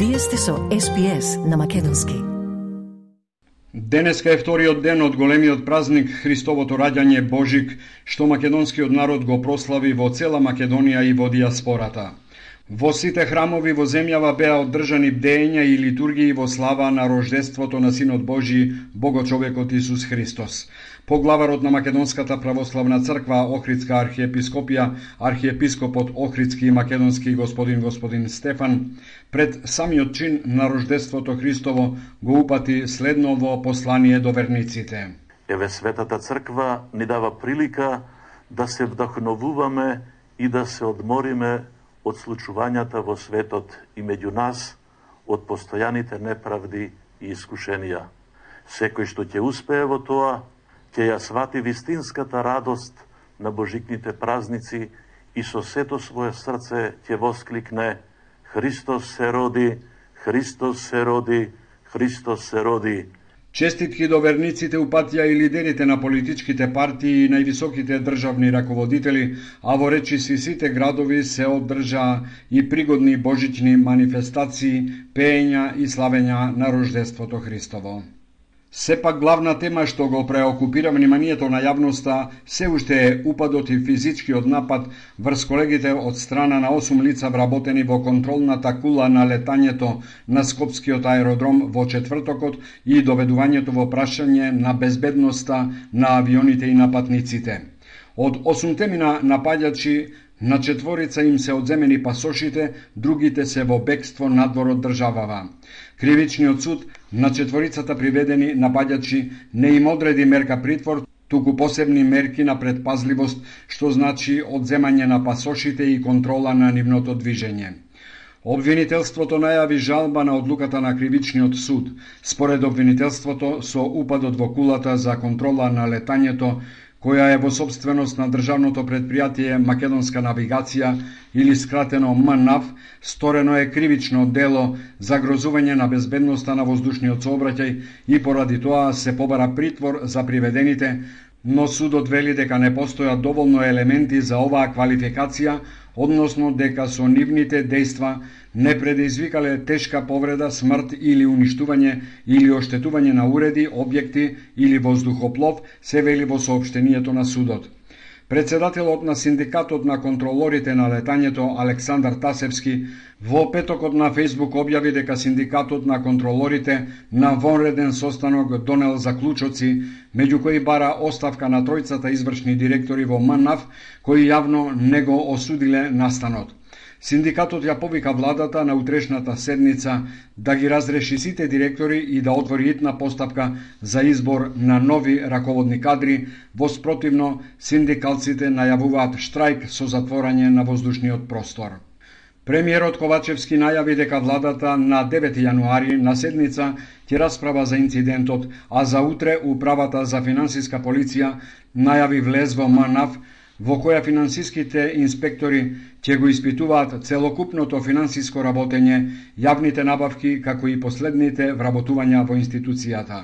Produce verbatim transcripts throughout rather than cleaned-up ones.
Вие сте со Ес Би Ес на Македонски. Денеска е вториот ден од големиот празник Христовото раѓање Божик, што македонскиот народ го прослави во цела Македонија и во диаспората. Во сите храмови во земјава беа одржани бдења и литургии во слава на рождеството на Синот Божи, Богочовекот Исус Христос. Поглаварот на Македонската православна црква, Охридска архиепископија, архиепископот Охридски и македонски господин господин Стефан, пред самиот чин на рождеството Христово го упати следново послание до верниците. Еве Светата црква ни дава прилика да се вдахновуваме и да се одмориме од случувањата во светот и меѓу нас, од постојаните неправди и искушенија. Секој што ќе успее во тоа, ќе ја свати вистинската радост на божикните празници и со сето свое срце ќе воскликне: Христос се роди, Христос се роди, Христос се роди. Честитки до верниците упатија и лидерите на политичките партии и највисоките државни раководители, а во речиси сите градови се одржаа и пригодни божични манифестации, пеења и славења на рождеството Христово. Сепак главна тема што го преокупира вниманието на јавноста се уште е упадот и физичкиот напад врз колегите од страна на осум лица вработени во контролната кула на летањето на Скопскиот аеродром во четвртокот и доведувањето во прашање на безбедноста на авионите и на патниците. Од осумте мина напаѓачи, на четворица им се одземени пасошите, другите се во бегство надвор од државава. Кривичниот суд на четворицата приведени напаѓачи не им одреди мерка притвор, туку посебни мерки на предпазливост, што значи одземање на пасошите и контрола на нивното движење. Обвинителството најави жалба на одлуката на Кривичниот суд. Според обвинителството, со упадот во кулата за контрола на летањето, која е во собственост на државното предпријатие Македонска навигација или скратено МНАВ, сторено е кривично дело за грозување на безбедноста на воздушниот сообраќај и поради тоа се побара притвор за приведените, но судот вели дека не постојат доволно елементи за оваа квалификација, односно дека со нивните дејства не предизвикале тешка повреда, смрт или уништување или оштетување на уреди, објекти или воздухоплов, се вели во соопштението на судот. Председателот на Синдикатот на контролорите на летањето Александар Тасевски во петокот на Фејсбук објави дека Синдикатот на контролорите на вонреден состанок донел заклучоци, меѓу кои бара оставка на тројцата извршни директори во МНАВ, кои јавно не го осудиле настанот. Синдикатот ја повика владата на утрешната седница да ги разреши сите директори и да отвори итна постапка за избор на нови раководни кадри, во спротивно синдикалците најавуваат штрајк со затворање на воздушниот простор. Премиерот Ковачевски најави дека владата на девети јануари на седница ќе расправа за инцидентот, а за утре управата за финансиска полиција најави влез во МНАВ, во која финансиските инспектори ќе го испитуваат целокупното финансиско работење, јавните набавки, како и последните вработувања во институцијата.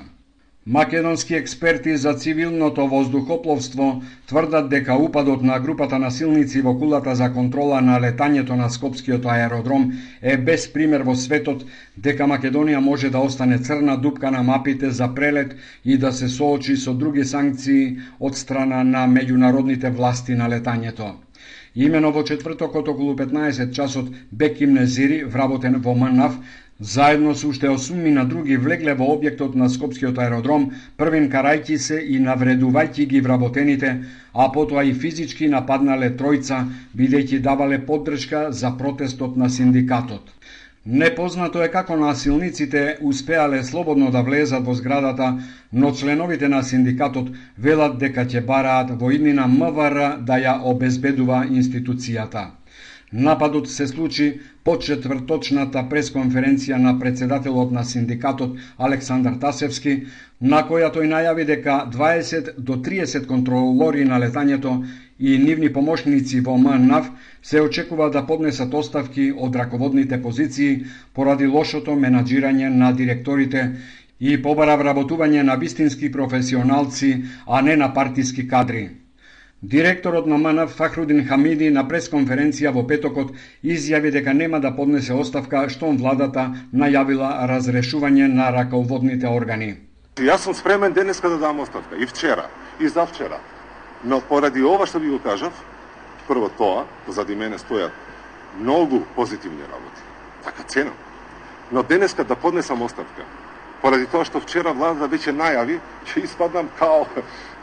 Македонски експерти за цивилното воздухопловство тврдат дека упадот на групата насилници во кулата за контрола на летањето на Скопскиот аеродром е без пример во светот, дека Македонија може да остане црна дупка на мапите за прелет и да се соочи со други санкции од страна на меѓународните власти на летањето. Имено во четвртокот околу петнаесет часот Беким Незири, вработен во МНАВ, заедно со уште осум на други влегле во објектот на Скопскиот аеродром, првин карајќи се и навредувајќи ги вработените, а потоа и физички нападнале тројца, бидејќи давале поддршка за протестот на синдикатот. Непознато е како насилниците успеале слободно да влезат во зградата, но членовите на синдикатот велат дека ќе бараат во иднина МВР да ја обезбедува институцијата. Нападот се случи по четврточната пресконференција на председателот на синдикатот Александар Тасевски, на која тој најави дека дваесет до триесет контролори на летањето и нивни помошници во МНАВ се очекува да поднесат оставки од раководните позиции поради лошото менаџирање на директорите и побара вработување на вистински професионалци, а не на партиски кадри. Директорот на МН Фахрудин Хамиди на пресконференција во петокот изјави дека нема да поднесе оставка штом владата најавила разрешување на раководните органи. Јас сум спремен денеска да дам оставка, и вчера, и завчера. Но поради ова што ви го кажав, прво тоа, зади мене стојат многу позитивни работи. Така ценам. Но денеска да поднесам оставка, поради тоа што вчера владата веќе најави, ќе испаднам као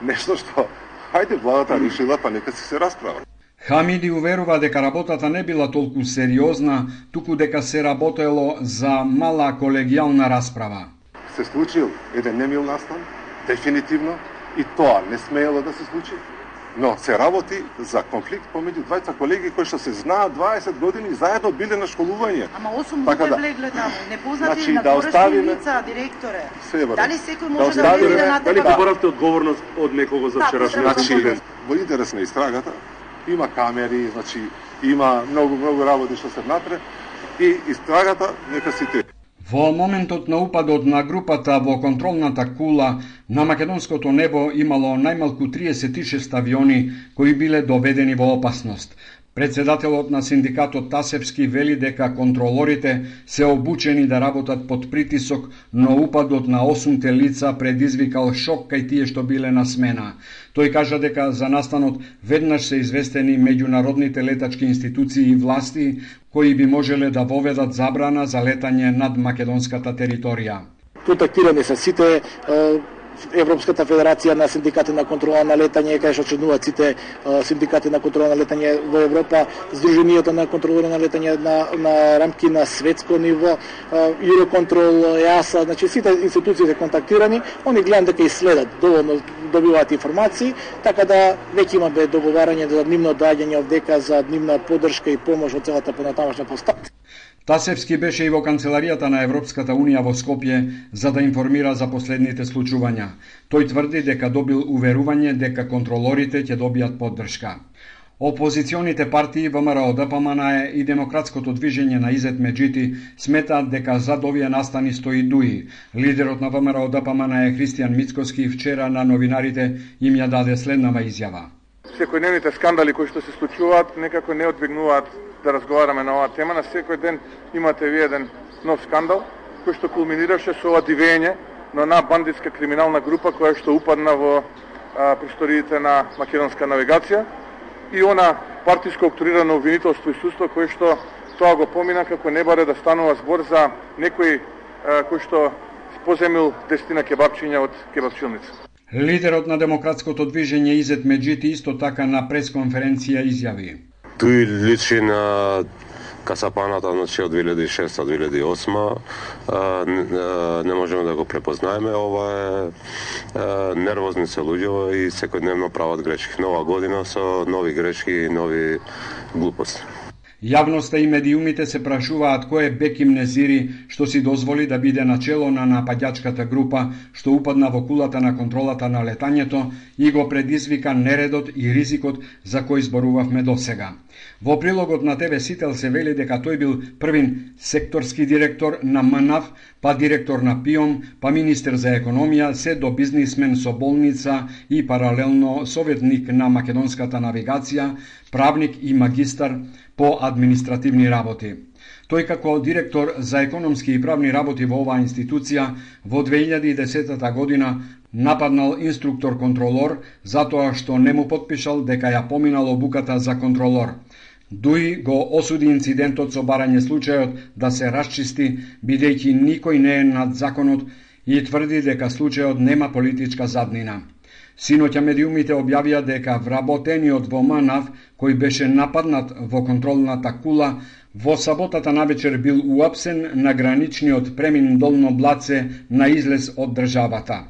нешто што хајде владата решила, па нека си се расправа. Хамиди уверува дека работата не била толку сериозна, туку дека се работело за мала колегијална расправа. Се случил еден немил настан, дефинитивно, и тоа не смеело да се случи, но се работи за конфликт помеѓу двајца колеги кои што се знаат дваесет години и заедно биле на школување. Ама осум така да влегле таму, непознати значи, на да оставиме лица, директоре. Себе, дали секој да може да влезе на дали поборавте одговорност од некого за вчерашниот значи, инцидент? во интерес на истрагата има камери, значи има многу многу работи што се внатре и истрагата нека си те. Во моментот на упадот на групата во контролната кула на македонското небо имало најмалку триесет и шест авиони кои биле доведени во опасност. Председателот на синдикатот Тасевски вели дека контролорите се обучени да работат под притисок, но упадот на осумте лица предизвикал шок кај тие што биле на смена. Тој кажа дека за настанот веднаш се известени меѓународните летачки институции и власти кои би можеле да воведат забрана за летање над македонската територија. Контактирани се сите Европската федерација на синдикати на контрола на летање, кај што членуваат сите синдикати на контрола на летање во Европа, Сдруженијата на контролори на летање на, на рамки на светско ниво, Юроконтрол, ЕАСА, значи сите институции се контактирани, они гледам дека и следат, доволно добиваат информации, така да веќе имаме договарање за нивно доаѓање овдека, за нивна поддршка и помош од целата понатамошна поставка. Тасевски беше и во канцеларијата на Европската Унија во Скопје за да информира за последните случувања. Тој тврди дека добил уверување дека контролорите ќе добијат поддршка. Опозиционите партии ВМРО, ДПМН и Демократското движење на Изет Меджити сметаат дека зад овие настани стои ДУИ. Лидерот на ВМРО ДПМН Христијан Мицкоски вчера на новинарите им ја даде следнава изјава. Секојдневните скандали кои што се случуваат некако не одвигнуваат да разговараме на оваа тема. На секој ден имате ви еден нов скандал кој што кулминираше со ова дивење на една бандитска криминална група која што упадна во а, просториите на македонска навигација и она партиско октрирано обвинителство и судство кое што тоа го помина како не баре да станува збор за некој а, кој што поземил десетина кебапчиња од кебапчилница. Лидерот на Демократското движење Изет Меджити исто така на пресконференција изјави. Тој личи на касапаната значи од две илјади и шеста до две илјади и осма. Не можеме да го препознаеме. Ова е нервозни се луѓе и секојдневно прават грешки. Нова година со нови грешки и нови глупости. Јавноста и медиумите се прашуваат кој е Беким Незири што си дозволи да биде начело на нападјачката група што упадна во кулата на контролата на летањето и го предизвика нередот и ризикот за кој зборувавме досега. Во прилогот на ТВ Сител се вели дека тој бил првин секторски директор на МНАВ, па директор на ПИОМ, па министер за економија, се до бизнисмен со болница и паралелно советник на македонската навигација, правник и магистар по административни работи. Тој како директор за економски и правни работи во оваа институција во две илјади и десета година нападнал инструктор-контролор затоа што не му потпишал дека ја поминал обуката за контролор. ДУИ го осуди инцидентот со барање случајот да се расчисти, бидејќи никој не е над законот и тврди дека случајот нема политичка заднина. Синоќа медиумите објавија дека вработениот во МНАВ, кој беше нападнат во контролната кула, во саботата навечер бил уапсен на граничниот премин Долно Блаце на излез од државата.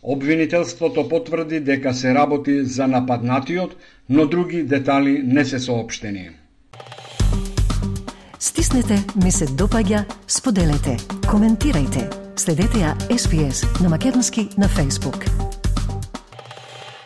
Обвинителството потврди дека се работи за нападнатиот, но други детали не се соопштени. Стиснете, ми се допаѓа, споделете, коментирајте. Следете ја Ес Би Ес на македонски на Facebook.